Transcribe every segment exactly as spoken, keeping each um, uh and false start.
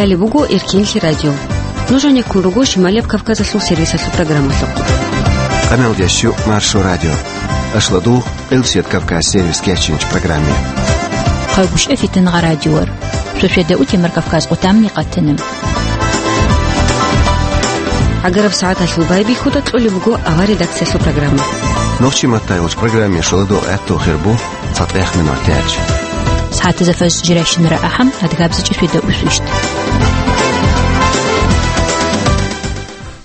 Гьале буго Эркенлъи радио. Нуж гӀенеккун руго Шималияб Кавказалъул сервисалъул программалъухъ. Къамелдящу Маршо радио. Ашладу Къилсият Кавказ сервис кечинч программе. Хъагушев Фитнагъа радиор. Сосведа утемар Кавказ къутамни къатинам. ГӀагараб сагӀаталъул байбихьуда кьолеб буго авар редакциялъул программа. Нохчи маттайолч программе шоладо гӀатту хирбу цатӀех минут тяч. СагӀатазафас жиращинара ахӀам адгабзичӀеб светда усвищт.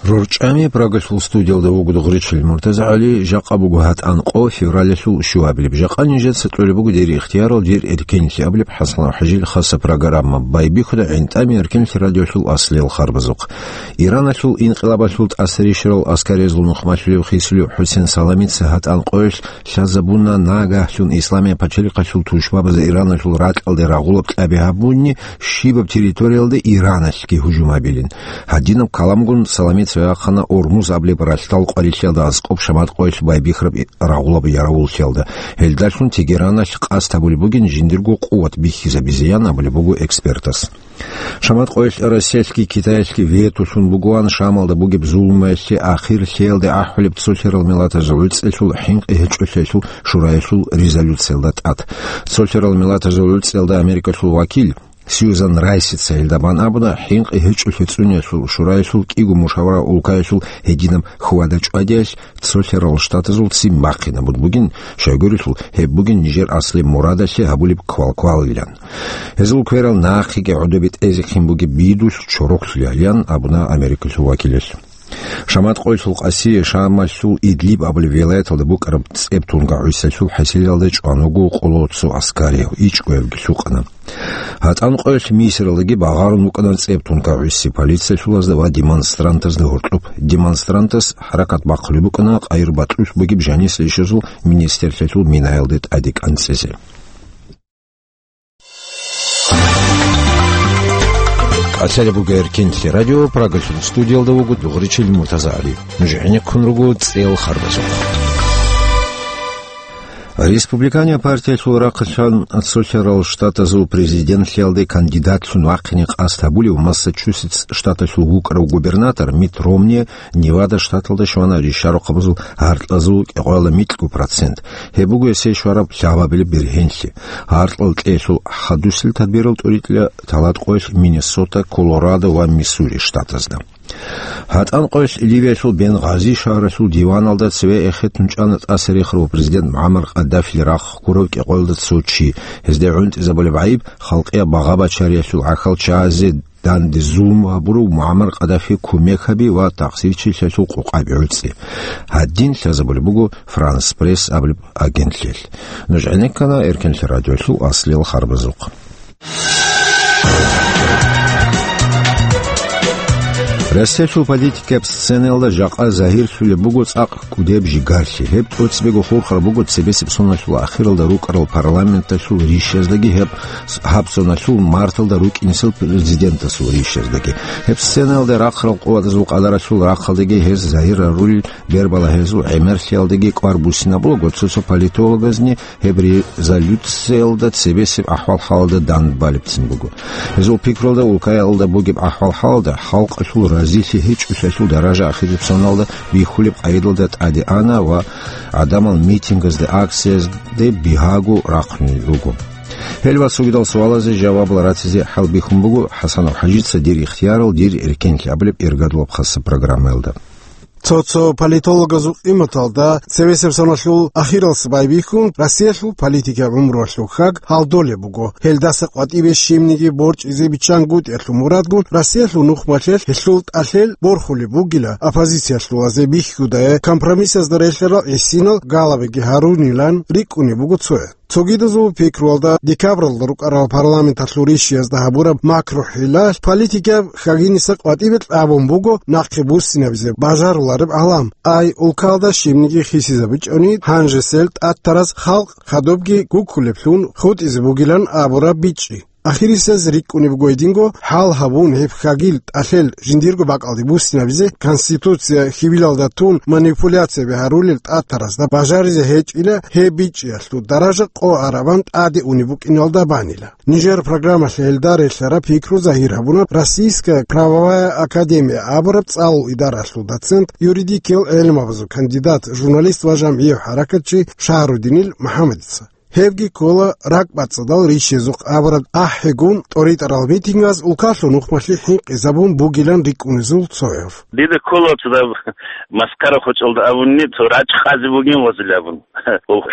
РорчӀами Прагалъул студиялда вуго Дугъричил МуртазагӀали, жакъа буго гьатӀан къо февралалъул щуабилеб. Жакъа нижеца кьолеб буго дир ихтиярал, дир эркенлъи абулеб ХӀасан ХӀажил хаса программа. Байбихьуда гӀинтӀами Эркенлъи радиолъул аслиял харбазухъ. Ираналъул инкъилабалъул тӀасарищарал аскариязул нухмалъулев хисулев ХӀусен Саламица гьатӀан къоялъ лъазабуна, нагагьлъун исламияб пачалихъалъул тушбабазда Ираналъул ракьалде рагъулаб кьаби гьабунни, щибаб территориялда Ираналъги гьужум гьабилин. Гьадинаб каламгун Саламица вахъана Ормуз абулеб ралъдал къварилъиялда аскӀоб Шамат къоялъ байбихьараб рагъулаб яравуллъиялда. Гьелдалъун Тегераналъ къасд гьабулеб бугин жиндирго къуват бихьизабизеян абулеб буго экспертас. Шамат къоялъ Россиялъги Китаялъги ветолъун бугоан Шамалда бугеб зулмаялъе ахирлъиялде ахӀулеб Цолъарал Миллатазул ГӀуцӀралъул хӀинкъи гьечӀолъиялъул шураялъул резолюциялда тӀад. Цолъарал Миллатазул ГӀуцӀралда Америкалъул вакил Сьюзан Райсица гьелда бан абуна, хӀинкъи гьечӀолъи цӀуниялъул шураялъул кӀиго мушавара улкаялъул гьединаб хьвада-чӀвадиялъ Цолъарал Штатазул ццин бахъинабун бугин, щайгурелъул гьеб бугин нижер аслияб мурадалъе гьабулеб квалквалилан. Гьезул кверал нахъеги гӀодобе тӀезехъин бугеб бидулъ чороклъулеялиян абуна Америкалъул вакилалъ. Шамат къоялъул къасие Шамалъул Идлиб абулеб вилаяталда букӀараб ЦӀебтунга гӀисалъул хӀасилалда чӀван вуго къоло цо аскарияв, ичӀго явги лъукъана. ГьатӀан къоялъ Мисралдаги багъарун букӀана ЦӀебтунга гӀиси полициялъулазда ва демонстрантазда гьоркьоб. Демонстрантас хӀаракат бахъулеб букӀана къайир батӀулъ бугеб жанис ришазул министрлъиялъул минаялде тӀаде кӀанцӀизе. Къацалеб буго Эркенлъи радио, Прагалъул студиялда вуго Дугъричил МуртазагӀали. Нуж гӀенеккун руго цӀел харбазухъ. Республиканияб партиялъул рахъалъан Цолъарал Штатазул президентлъиялде кандидатлъун вахъине къасд гьабулев Массачусетс штаталъул вукӀарав губернатор Митт Ромни Невада штаталда щвана ришарухъабазул гьаркьазул кӀикъоялда микьго процент. Гьеб буго гьесие щвараб лъабабилеб бергьенлъи. Гьаркьал кьелъул хадусел тадбирал тӀуритӀила талат къоялъ Миннесота, Колорадо ва Миссури штатазда. ГьатӀан къоялъ Ливиялъул Бенгъази шагьаралъул диваналда цеве эхетун чӀана тӀаса рехарав президент МугӀаммар Къаддафили рахъ гурав кӀикъоялда цо чи. Гьезда гӀунтӀизабулеб гӀайиб халкъияб багъа-бачариялъул гӀахьал чагӀазе данде зулму гьабурав МугӀаммар Къаддафи кумек гьаби ва такъсирчилъиялъул къокъаби гӀуцӀи. Гьадин лъазабулеб буго Франс Пресс абулеб агентлъиялъ. Нуж гӀенеккана Эркенлъи радиолъул аслиял харбазухъ. Россиялъул политикаб сценаялда жакъа загьирлъулеб буго цӀакъ кӀудеб жигарлъи. Гьеб тӀоцебего хурхараб буго цебесеб соналъул ахиралда рукӀарал парламенталъул ришяздаги гьеб гьаб соналъул марталда рукӀинесел президентасул ришяздаги. Гьеб сценаялда рахъарал къуватазул къадаралъул рахъалдаги гьез загьир гьарулел бербалагьезул гӀемерлъиялдаги кӀвар буссинабулаго цо-цо политологазни гьеб резолюциялда цебесеб ахӀвал-хӀалалда данде балебцин буго. Гьезул пикруялда улкаялда бугеб ахӀвал-хӀалалда халкъалъул разилъи гьечӀолъиялъул даража ахирисеб соналда бихьулеб къайдалда тӀаде ана ва гӀадамал митингазде, акциязде бигьаго рахъунел руго. Гьел ва цогидал суалазе жавабал ратизе хӀалбихьун буго ХӀасанов ХӀажица дир ихтиярал, дир эркенлъи абулеб иргадулаб хаса программаялда. Цо-цо политологазул къиматалда, цевесеб соналъул ахиралъ байбихьун, Россиялъул политикаб гӀумруялъул хьаг гьалдолеб буго. Гьелдаса къватӀибе щибниги борчӀизе биччангутӀиялъул мурадгун Россиялъул нухмалъе гьелъул тӀалъел борхулеб бугила оппозициялъулазе бихьудае компромиссазда релълъарал гӀисинал галабиги гьарунилан рикӀкӀунеб буго цояз. Цогидазул пикруялда, декабралда рукӀарал парламенталъул ришиязда гьабураб макру-хӀилалъ политикаб хьагиниса къватӀибе кьабун буго нахъе буссинабизе бажарулареб гӀалам. Ай, улкалда щибниги хисизабичӀони, гьанжесел тӀатараз халкъ хадубги гуккулеблъун хутӀизе бугилан абураб бичӀчӀи. Ахирисез рикӀкӀунеб буго гьединго, хӀал гьабун, гьеб хьагил тӀалъел жиндирго бакӀалде буссинабизе, Конституция хьивилалда тун манипуляцияби гьарулел тӀатаразда бажаризе гьечӀила, гьеб бичӀчӀиялъул даража къо арабан тӀаде унеб букӀиналда банила. Нижер программалъе гьелда релълъараб пикру загьир гьабуна Российская правовая академия абураб цӀалул идаралъул доцент, юридикиял гӀелмабазул кандидат, журналист ва жамгӀияв хӀаракатчи Шагьрудинил МухӀаммадица. Гьебги ккола ракӀбацӀцӀадал рищезухъ абураб ахӀигун тӀоритӀарал митингаз улкалъул нухмалъи хӀинкъизабун бугилан рикӀкӀунезул цояв. Дида ккола цо даб маскара хочӀалда абунни, цо рачӀ къазе бугин вазил абун.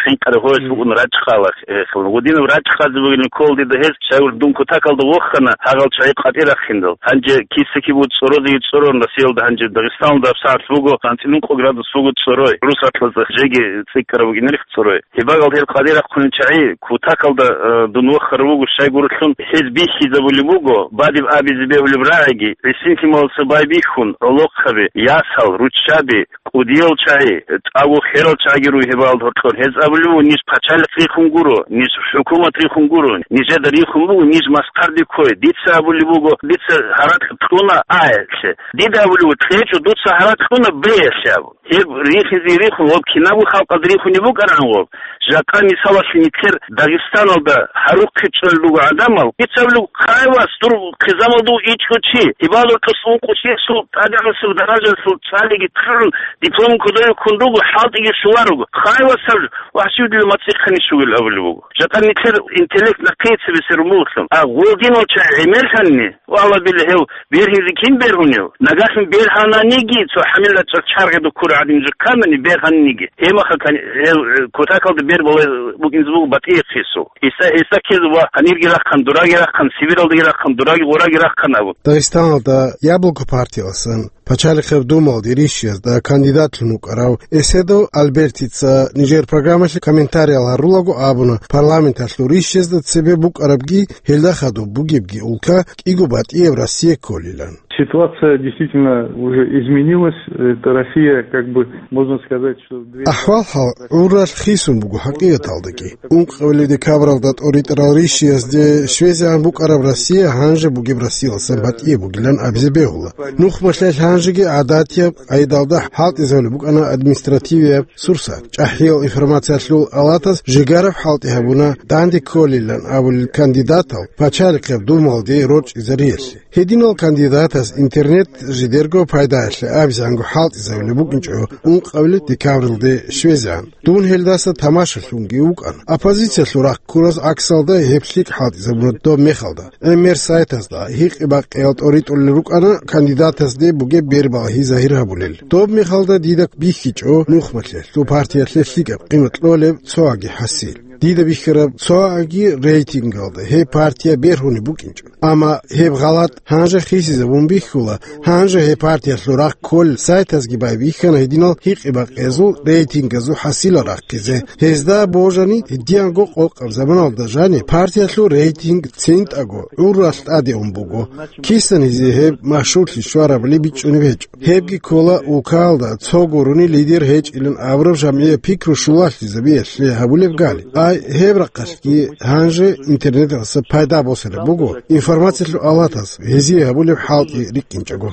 ХӀинкъараб гьоялъ букӀун рачӀ къала, э, гъодинаб рачӀ къазе бугилан ккола дида гьез, щайгур дун кутакалда вохана, гьагъал чагӀи къватӀир рахъиндал. Гьанже киса-кибу цӀорозеги цӀорон Россиялда, гьанже Дагъистаналда гьабсагӀат буго, анцӀила ункъо градус буго цӀорой. Русатлъазда жеги цӀикӀкӀараб бугин рихь цӀорой. Гьебагал гьел къватӀир рахъунел чагӀи, кутакалда, э, дун вохарав вуго щайгурелъул, гьез бихьизабулеб буго, бадиб абизе бегьулеб рагӀиги, гӀисин-лъималаца байбихьун, гӀолохъаби, ясал, руччаби, кӀудиял чагӀи, тӀагу херал чагӀиги руй гьебагал гьоркьор. Гьез абулеб буго, ниж пачалихъ рихун гуро, ниж хӀукумат рихун гуро, нижеда рихун буго, ниж маскарде ккой. Дица абулеб буго, дица гьаракь кьуна, а, лъе. Дида абулеб буго, кьечӀо, дуца гьаракь кьуна, б, лъе абу. Гьеб рихизе рихун, гьоб кинабго халкъалда рихунеб букӀаран гьоб. Жакъа мисалалъе нилъер Дагъистаналда гьарухъе чӀвел руго гӀадамал, дица абулеб, хъай вас, дур хъизамалда вуго ичӀго чи, гьебал рокьос ункъо чиясул тӀадегӀанасеб даражалъул цӀалиги кьун, диплом кодове ккун руго, хӀалтӀиги щоларуго. Хъай вас, гьаб вагьчивдила мацӀихъани щугел абулеб буго. Жакъа нилъер интеллект нахъе цебесерун бугелъул. А гъолдинал чагӀи гӀемерлъани, валла-билла, гьев бергьизе кин бергьунев? Нагагьлъун бергьананиги, цо хӀамилла чӀа-, чаргъида ккурав гӀадин жо кканани бергьаниги, гьеб мехалъ гьев, э, кутакалда бер балай букӀинзе буго батӀияб хису. Гьесда, гьесда ккезе ва гьанирги рахъан, дураги рахъан, Сибиралдаги рахъан, дураги гъураги рахъан абун. Дагъистаналда Яблоко партияласан Пачалихъеб Думалде рищиязда кандидатлъун вукӀарав Эседов Альбертица нижер программалъе комментариял гьарулаго абуна, парламенталъул рищезда цебе букӀарабги, гьелда хадуб бугебги улка кӀиго батӀияб Россия кколилан. Ситуация действительно уже изменилась. Это Россия, как бы, можно сказать, что две... АхӀвал-хӀал гӀурралъ хисун буго хӀакъикъаталдаги. Ункъабилеб декабралда тӀоритӀарал рищиязде щвезегӀан букӀараб Россия гьанже бугеб Россияласан батӀияб бугилан абизе бегьула. Нухмалъаялъ гьанжеги гӀадатияб къайдалда хӀалтӀизабулеб букӀана административияб сурсат. ЧӀахӀиял информациялъул алатас жигараб хӀалтӀи гьабуна данде кколилан абулел кандидатал Пачалихъеб Думалде рорчӀизариялъе. Гьединал кандидатас интернет жидерго пайдаялъе абизанго хӀалтӀизабулеб букӀинчӀо ункъабилеб декабралде щвезегӀан. Дун гьелдаса тамашалъунги вукӀана. Оппозициялъул рахъ ккураз гӀаксалда гьеб лъикӀ хӀалтӀизабуна доб мехалда. ГӀемер сайтазда гьикъи-бакъиялда тӀоритӀулел рукӀана кандидатазде бугеб бер балагьи загьир гьабулел. Доб мехалда дида бихьичӀо нухмалъиялъул партиялъе лъикӀаб къимат кьолеб цоаги хӀасил. Дида бихьараб цоаги рейтингалда гьеб партия бергьунеб букӀинчӀо. Амма гьеб гъалатӀ гьанже хисизабун бихьула, гьанже гьеб партиялъул рахъ кколел сайтазги байбихьана гьединал гьикъи-бакъиязул рейтингазул хӀасилал рахъизе. Гьезда божани, гьединго къокъаб заманалда жаниб партиялъул рейтинг цинтӀаго гӀурралъ тӀаде ун буго. Кисан гьезие гьеб машгьурлъи щварабали бичӀчӀунеб гьечӀо. Гьебги ккола улкаялда цо гурони лидер гьечӀилан абураб жамгӀияб пикру щулалъизабиялъе гьабулеб гали. Ай, гьеб рахъалъги гьанже интернеталъа пайда босараб буго, информациялъул алатас гьезие гьабулеб хӀалтӀи рикӀкӀинчӀого.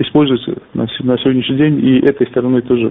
Используется на с-, на сегодняшний день и этой стороной тоже,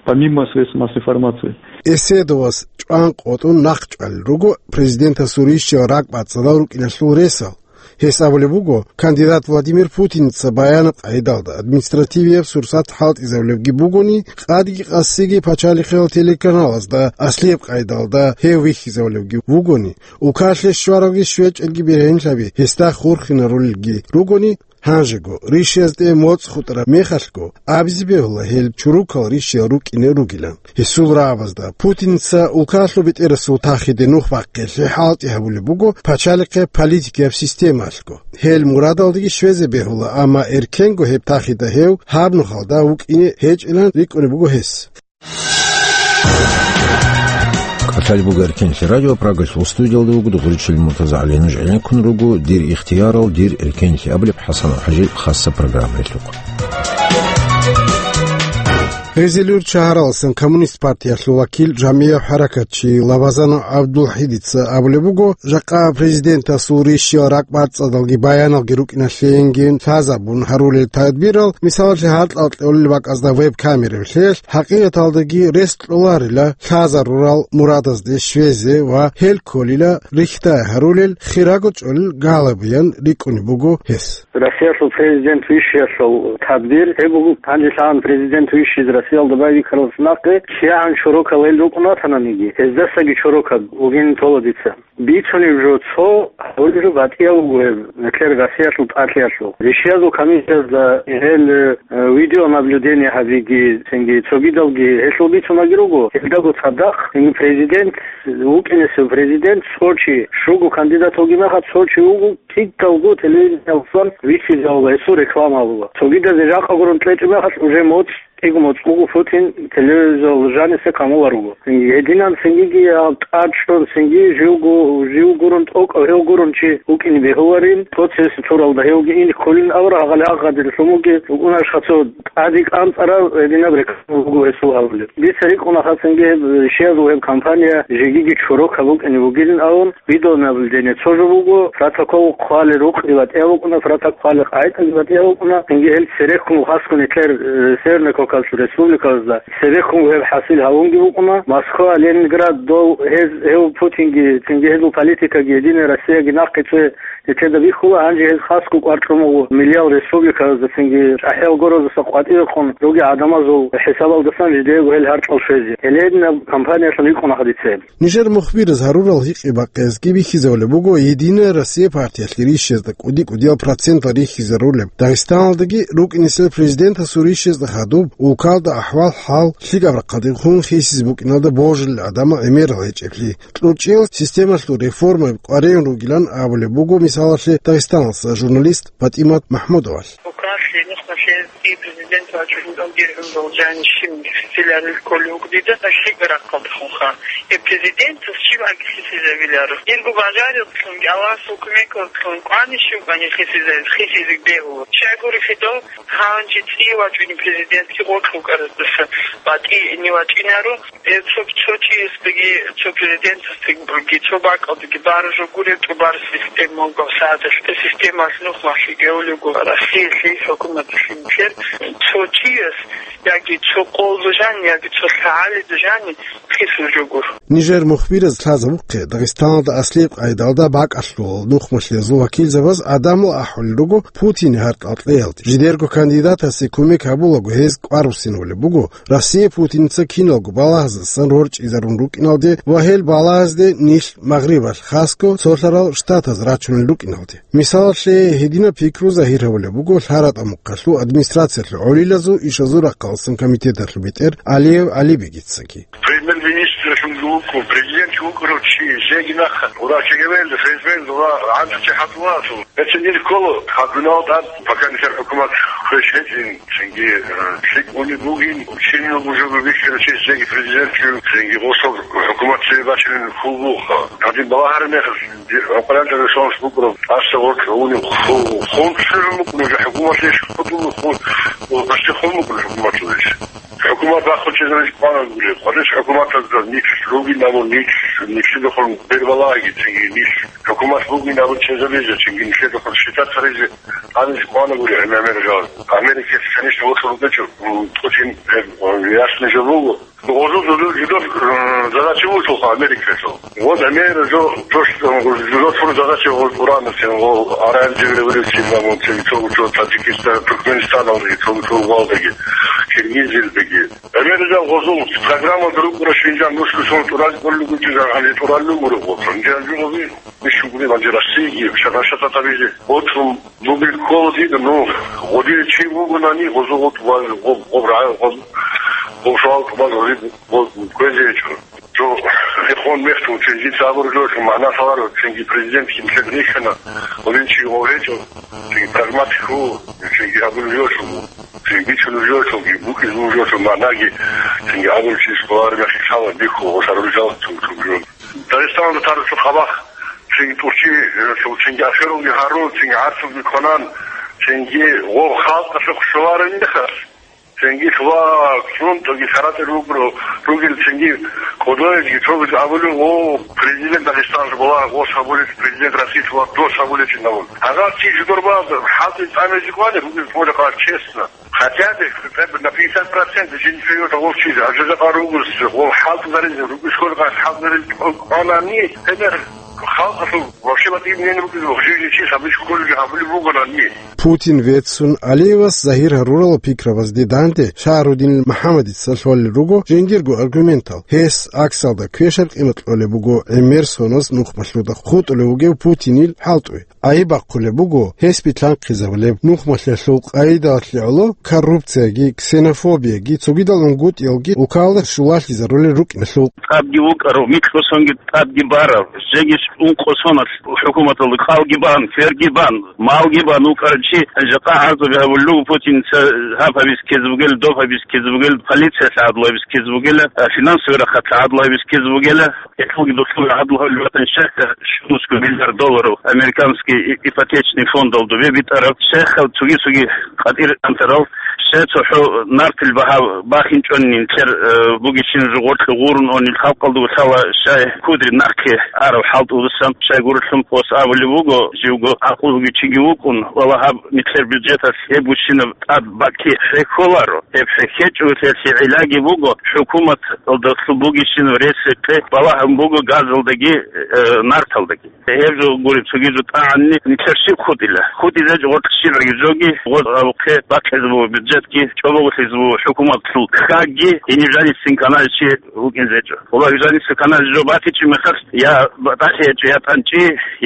помимо средств массовой информации. Эседовас чӀван къотӀун нахъчӀвалел руго президентасул рищал ракӀбацӀцӀадал рукӀиналъул ресал. Гьес абулеб буго, кандидат Владимир Путинца баянаб къайдалда административияб сурсат хӀалтӀизабулебги бугони, къадги къасиги пачалихъал телеканалазда аслияб къайдалда гьев вихьизабулебги вугони, улкалъе щваралги щвечӀелги бергьенлъаби гьесда хурхинарулелги ругони, гьанжего, рищиязде моцӀ хутӀараб мехалъго, абизе бегьула гьел чурукал рищиял рукӀине ругилан. Гьесул рагӀабазда Путинца улкалъул бетӀерасул тахиде нух бахъиялъе хӀалтӀи гьабулеб буго пачалихъе политикияб системалъго. Гьел мурадалдеги щвезе бегьула, амма эркенго гьеб тахида гьев гьаб нухалда вукӀине гьечӀилан рикӀкӀунеб буго гьес. КӀалъалеб буго Эркенлъи радио, Прагалъул студиялда вуго Дугъричил МуртазагӀали. Нуж гӀенеккун руго «Дир ихтиярал, дир эркенлъи» абулеб ХӀасан ХӀажил хасса программаялъухъ. Гъезелюрт шагьаралъан Коммунист партиялъул вакил, жамгӀияб хӀаракатчи Лабазанов ГӀабдулхӀидица абулеб буго, жакъа президентасул рищиял ракӀбацӀцӀадалги баяналги рукӀиналъейинги лъазабун гьарулел тадбирал, мисалалъе, гьаркьал кьолел бакӀазда веб-камерабилъеялъ, хӀакъикъаталдаги рес кьоларила лъазарурал мурадазде щвезе ва гьел кколила рихьдай гьарулел, хирого чӀолел галабиян рикӀкӀунеб буго гьес. Россиялъул президент вищиялъул тадбир гьеб буго, гьанже лъагӀан президент вищизе Россиялда байбихьаралдаса нахъе кигӀан чорокал гьел рукӀун ватананиги, гьездасаги чорокаб вугин тола дица. Бицунеб жо цо, гьабулеб жо батӀияб буго гьеб, нилъер Россиялъул тӀалъиялъул. Рищиязул комиссиязда гьел, э, видеонаблюдение гьабиги, цинги цогидалги гьелъул бицунаги руго. Гьелдаго цадахъ цинги президент вукӀинесев президент цо чи, щуго кандидат вугеб мехалъ цо чи вуго, кидалго телевидениялдасан вихьизавула гьесул рекламаялда. Цогидазе жакъа гурун кьечӀеб мехалъ уже моцӀ, кӀиго моцӀ буго Путин телевизоралда жаниса камуларуго. Гьединан цинги гьаб тӀад чӀун, цинги живго, жив гурун тӀокӀав гьев гурун чи вукӀине бегьуларин, цо цевеса цуралда гьевги ин кколин авара, гьагъали агъадир лъумуги вукӀунашха цо тӀаде кӀанцӀарав гьединаб реклама буго гьесул абулеб. Дица рикӀкӀунаха цинги гьеб щиязул гьеб кампания жегиги чорокаб букӀине бугилин абун, видеонаблюдение цо жо буго, протокол хъвалел рукъги батӀияб букӀуна, протокол хъвалел къагӀидаги батӀияб букӀуна. Цинги гьел церехун хасго нилъер, э, Северный Кавказалъул республикаялда церехун гьеб хӀасил гьавунги букӀуна. Москва, Ленинград, дов гьез, гьев Путинги, цинги гьезул политикаги, Единая Россияги нахъе цо нилъеда бихьула, гьанже гьез хасго кӀвар кьун буго миллиял республикаялда, цинги чӀахӀиял гороздаса къватӀивехун ругел гӀадамазул хӀисабалдасан жидеего гьел гьаркьал щвезе. Гьеле гьединаб кампаниялъун рикӀкӀунаха дица гьеб. Нижер мухбираз гьарурал гьикъи-бакъиязги бихьизабулеб буго Единая Россия партиялъе рищезда кӀуди-кӀудиял процентал рихьизарулеб, Дагъистаналдаги рукӀинесел президентасул рищезда хадуб улкалда ахӀвал-хӀал лъикӀаб рахъалдехун хисизе букӀиналда божулел гӀадамал гӀемерал гьечӀеблъи. КьучӀиял системалъул реформаби къваригӀун ругилан абулеб буго, мисалалъе, Дагъистаналдаса журналист ПатӀимат МахӀмудовалъ. Украсили нухмалъе и президент вачӀун диргӀун должани щиб хисиларил кколев вуго дида лъикӀаб рахъалдехунха. Э, президентас щиб аги хисизавиларо. Дирго бажарилъунги Аллагьасул кумекалъун кӀвани щиб аги хисиза-, хисизе бегьула. Щайгурелъул гьанже цӀи вачӀуни президентги гъоркь вукӀараздаса батӀине вачӀинаро. Э, цо, цо чиясдаги, цо президентасдаги, цо бакӀалдаги баражо гуреб тӀубараб система буго, сагӀаталъ системалъ нухмалъи гьевлего Россиялъе хӀукуматалъе нилъер цо чияс, яги цо къолда жани, яги цо лъагӀалида жани хисул жо гуро. Нижер мухбираз лъазабухъе, Дагъистаналда аслияб къайдалда бакӀалъул нухмалъиязул вакилзабаз гӀадамал ахӀулел руго Путине гьаркьал кьеялде. Жидерго кандидатасе кумек гьабулаго гьез кӀвар буссинабулеб буго, Россия Путинца киналго балагьаздасан рорчӀизарун рукӀиналде ва гьел балагьазде нилъ Магърибалъ хасго цолъарал штатаз рачунел рукӀиналде. Мисалалъе, гьединаб пикру загьир гьабулеб буго ЛъаратӀа мухъалъул администрациялъул гӀолилазул ишазул рахъалдасан комитеталъул бетӀер Алиев ГӀалибегицаги. Премьер-министралъунги вукӀун, президент вукӀарав чи, жеги нахъа, врачиги вел, ФСБ-н ва гӀантӀичи хӀатӀулаасул. Гьецин ил ккола, гьабуналда, пока нилъер хӀукумат хвеш гьечӀин, цинги, э, лъикӀ унеб бугин, чинил бужуго бихьарав чи жеги президент чи, цинги гъосул хӀукумат цебе бачинин хьул буха. Гьадин балагьараб мехалъ, ди-, гӀукъуялда ресурс букӀараб, тӀаса гъоркь гьуниб ху-, хун цӀерун букӀун, уже хӀукуматлъи иш хутӀун хун, ва гъасти хун букӀун хӀукуматлъи иш. ХӀукумат бахъун чӀезаризе кӀванагури, гьанже хӀукуматалда ниж ругин абун, ниж, нижеда хун бербалагьиги, цинги ниж хӀукумат бугин абун чӀезабизе, цинги нижеда хун шитӀатаризе, гьанизе кӀванагури гӀемер жал. Америкаялъ, конечно, вокьун рукӀечӀо, м, Путин, э, ясный жо буго. Гъозул жидер, жидер, м, задача вугелъулха Америкаялъул. Вот гӀемер жо, то, что, м, жидер задача гъоз уранасин, гъо араб революциялда, м, цо, цо, цо Таджикистан, Туркменистаналдаги, цо, цо Уралдаги, Киргизиялдаги. Америкал гъозул программалда рукӀура шинжан нусго сон тӀурал кӀоллугучӀизан гьанже тӀураллугури гъозул. Гьанже гьанже гъозул бищун гури гьанже Россиягиги, шагьар-шатӀа табизе. Гъоцун бугел ккола дида, ну, гъодин чи вугонани, гъозул гъо тӀубаз, гъо-, гъо-, гъо-, гъо-, гъо-, шагьар тӀубаз гъозул гъо-, кквезе гьечӀо. Жо, ихон мехту, цинги цабур жо, магӀна лъаларо, цинги президент кин лъед рихьана, гъодин чи гъо гьечӀо, цинги прагматик ву, цинги гьабулев жо, цинги бичунев жо, цинги букӀизе вугев жо, магӀнаги, цинги гьабулев чи сквалар мехи лъала бихьу, гъо шагьарулъ жал цун, цун жо. Дагъистаналда тарцу хабах, цинги тӀурчи, э, цинги афералги гьарун, цинги гӀарцулги кванан, цинги гъо халкъалъухъ щоларин мехалъ, Цинги лъугьа-, цун, цоги Саратове ругел, ругел цинги кӀодоязги, цогиз абулев, о, президент Дагъистаналъ була, гъос абулев, президент Россиялъ була, дос абулев чи абун. Гьагъав чи жидерго хӀалтӀи тӀамизе ккани, ругел цӀолъа честно. Хотя бы, хотя бы на пятьдесят процентов жиндир гьев гъов чизе, а жидер ругес, гъов хӀалтӀизаризе, ругес хьолеб хӀалтӀизаризе кӀванани, гьебмехалъ халкъалъул вообще батӀияб нин ругел, жиндир чи сабилъ кколеги гьабулеб бугони. Путин веццун, Алиевас загьир гьарурал пикрабазде данде Шагьрудинил МухӀаммадица лъолел руго жиндирго аргументал. Гьес аксалда квешаб къимат кьолеб буго гӀемер соналъ нухмалъуда хутӀулев вугев Путинил хӀалтӀуе. Айиб бахъулеб буго гьес битлъанхъизабулеб нухмалъиялъул къайдалъе гӀоло коррупцияги, ксенофобияги, цогидал унгутӀиялги улкалда щулалъизарулел рукӀиналъул. ТӀадги вукӀарав, микьго сонги тӀадги барав, жеги ункъо соналъ хӀукуматалда кӀалги бан, кверги бан, малги бан вукӀарав чи, жакъа гӀарзаби гьабулел руго Путинца, гьаб гьабиз ккезе бугел, доб гьабиз ккезе бугел, полициялъ гӀадлу гьабиз ккезе бугел, а, финансовый рахъалъ гӀадлу гьабиз ккезе бугела. Гьелъулги духъун гьадул гьавилбатан щайха щунусго миллиард долларов американский и-, ипотечный фондал дубе битӀараб, щайха цоги-цоги къатӀир антарал, щай цохӀо нартил багьа бахинчӀони нилъер, э, бугищин жугъорлъи гъурун онил халкъалда лъала, щай кудри нахъе арав хӀалтӀудасан, щай гурелъул гъос абулеб буго, живго гӀакълу бугев чиги вукӀун, вала гьаб нилъер бюджеталъ гьеб гучинаб тӀад бакӀги хӀехьоларо. Гьеб хӀехьечӀого гьелъие гӀиллаги буго, хӀукуматалдалъун бугищинаб рес-рекъе балагьун буго газалдаги, э, нарталдаги. Гьеб жо гуреб цоги жо тӀагӀанни нилъер щиб хутӀила? ХутӀизеч гъоркь щибгӀаги жоги, гъоз абухъе бахъизе буго бюджетги, чӀобогулъизе буго хӀукуматлъул хьагги, гьениб жанисин каналчи вукӀинзечӀо. Валлагь, жанисин каналчи жо батичӀеб мехалъ, я батӀалъи гьечӀо, я тӀанчӀи,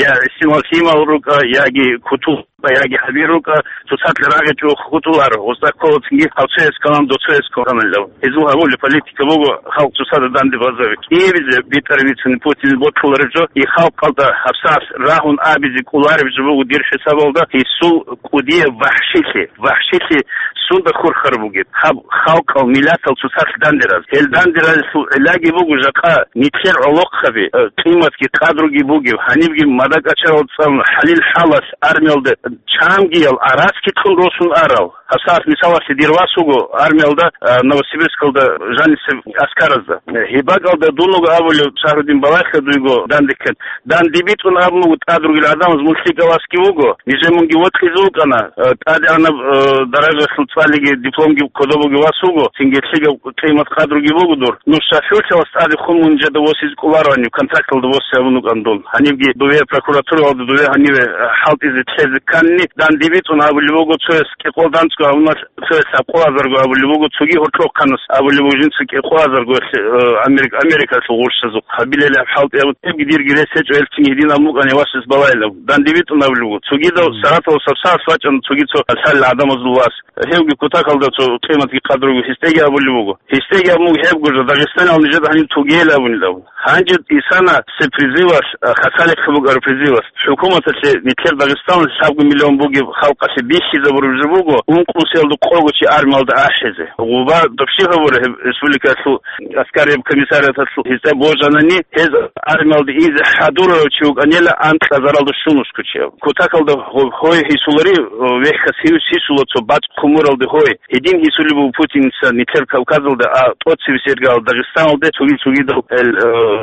я гӀисинал лъимал рукӀа, яги кутул яги гьабир рукӀа, цоцалъ рагъичӀого хутӀуларо, гъоста кколацинги гьав цояс кканан, дов цояс кканалилав. Гьезул гьабулеб политика буго халкъ цоцазда данде базаби. КӀиабизе битӀараб бицани Путин бокьулареб жо, и халкъалда гьабсагӀат рагьун абизе кӀолареб жо буго дир хӀисабалда, гьесул кӀудияб вахӀшилъи, вахӀшилъи сунда хурхараб бугеб, гьаб халкъал, миллатал цоцалъ данде раз. Гьел данде разилъул гӀиллаги буго жакъа нилъер гӀолохъаби, э, къиматги къадруги бугеб, гьанибги мада-кӀачарал цӀалун, гьалил хӀалалъ армиялда чамгиял араскитлъун росун арал. ГьабсагӀат мисалалъе дир вас вуго армиялда, а, Новосибирскалда жанисеб аскаразда. Гьеб бакӀалда дун вуго абулев, Шагьрудин, балагье дуйго данде ккан. Данде битӀун абун буго тӀад ругел гӀадамаз, мун лъикӀавасги вуго, нижер мунги вокьизе вукӀана, а, тӀадегӀанаб, а, даражалъул цӀалиги дипломги кодобуги вас вуго, цинги лъикӀаб къимат-къадруги буго дур. Нуж шофёрлъи вас тӀаде хун мун жеда восизе кӀолароани, контракталда восе абун вукӀан дун. Гьанибги дуве прокуратуралда дуве гьаниве хӀалтӀизе лъезе кканни, данде битӀун абулеб буго, цояс кӀикъоялда анцӀго абуна, цояс лъабкъоязарго абулеб буго, цоги гьоркьохъанас абулеб буго, жинца кӀикъоязарго, э, Америк-, Америкалъул гъурщазухъ гьабилели гьаб хӀалтӀи абун, гьебги дирги рес гьечӀо, гьел цинги гьедин абун букӀани васас балайилан. Данде битӀун абулеб буго. Цогидав Саратовас гьабсагӀат вачӀана цоги цо лъалел гӀадамазул вас. Гьевги кутакалда цо къиматги къадруги гьесдеги абулеб буго. Гьесдеги абун буго гьеб гуржа, дагъистанал нижеда гьаниб тугейилан абунилан. Гьанже исана се призывалъ, а, хасалихъе букӀараб призывалъ. ХӀукуматалъе нилъер Дагъистаналъ лъабго миллион бугеб халкъалъе бихьизабураб жо буго, ункънусиялда къого чи армиялда ахӀизе. Гъуба добши гьабура гьеб республикалъул аскарияб комиссариаталъул гьезда божанани, гьез армиялда изе хӀадурарав чи вукӀанила анкьазаралда щунусго чи абун. Кутакалда гьо-, гьой гьисулари, о, вехьас гьинус гьисула цо бацӀ хъумуралде гьой. Гьедин гьисулеб буго Путинца нилъер Кавказалда, а тӀоцебесеб иргаялда Дагъистаналде цоги-цогидал эл, э,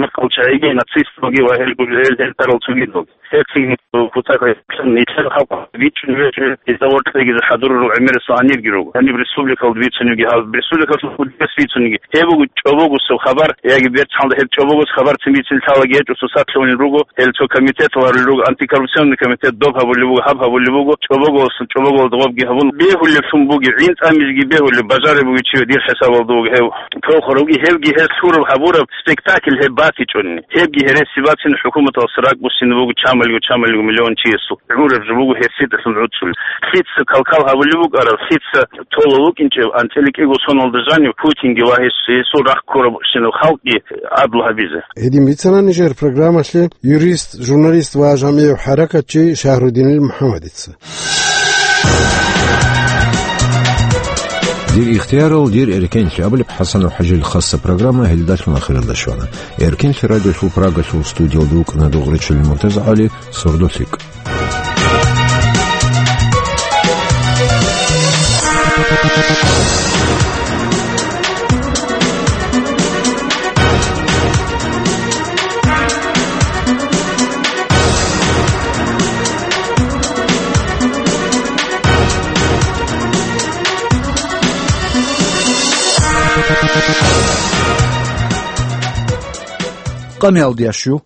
мекъал чагӀиги, нацисталги ва гьел гуржел гьел тарал цогидалги. Гьеб цинги кутакалъ нилъер халкъ бичӀчӀун вегье, гьезда воркьегизе хӀадурарал гӀемерисел гьанибги руго. Гьаниб республикалда бицунебги, гьаб республикалъул худияс бицунебги. Гьеб буго чӀобогосеб хабар, яги берцалда гьеб чӀобогос хабарцин бицин лъалаги гьечӀо, цоцалъ гьунел руго, гьел цо комитетал гьарулел руго, антикоррупционный комитет доб гьабулеб буго, гьаб гьабулеб буго, чӀобогос, чӀобоголда гъобги гьабун, бегьулеблъун бугеб, гӀинтӀамизеги бегьулеб, бажараб бугеб чи дир хӀисабалда вуго гьев. Толхъурабги гьевги гьес лъураб гьабураб спектакль гьеб батичӀони. Гьебги гьереси бацин хӀукуматалъ ракӀ буссине буго чамалго-чамалго миллион чиясул. ГӀураб жо буго гьерсидалъун гӀуцӀулеб. Лъица калкал гьабулеб букӀараб, лъица толо вукӀинчӀеб анцӀила кӀиго соналда жанив Путинги ва гьес, гьесул рахъ ккурабщинаб халкъги гӀадлу гьабизе. Гьедин бицана нижер программалъе юрист, журналист ва жамигӀ хӀаракатчи Шагьрудинил МухӀаммадица. Дир ихтиярал, дир эркенлъи абулеб ХӀасанов ХӀажил хасса программа гьелдалъун ахиралда щвана. Эркенлъи радиолъул Прагалъул студиялда вукӀана Дугъричилин МуртазагӀали, сордо лъикӀ. Къамиялдиящу,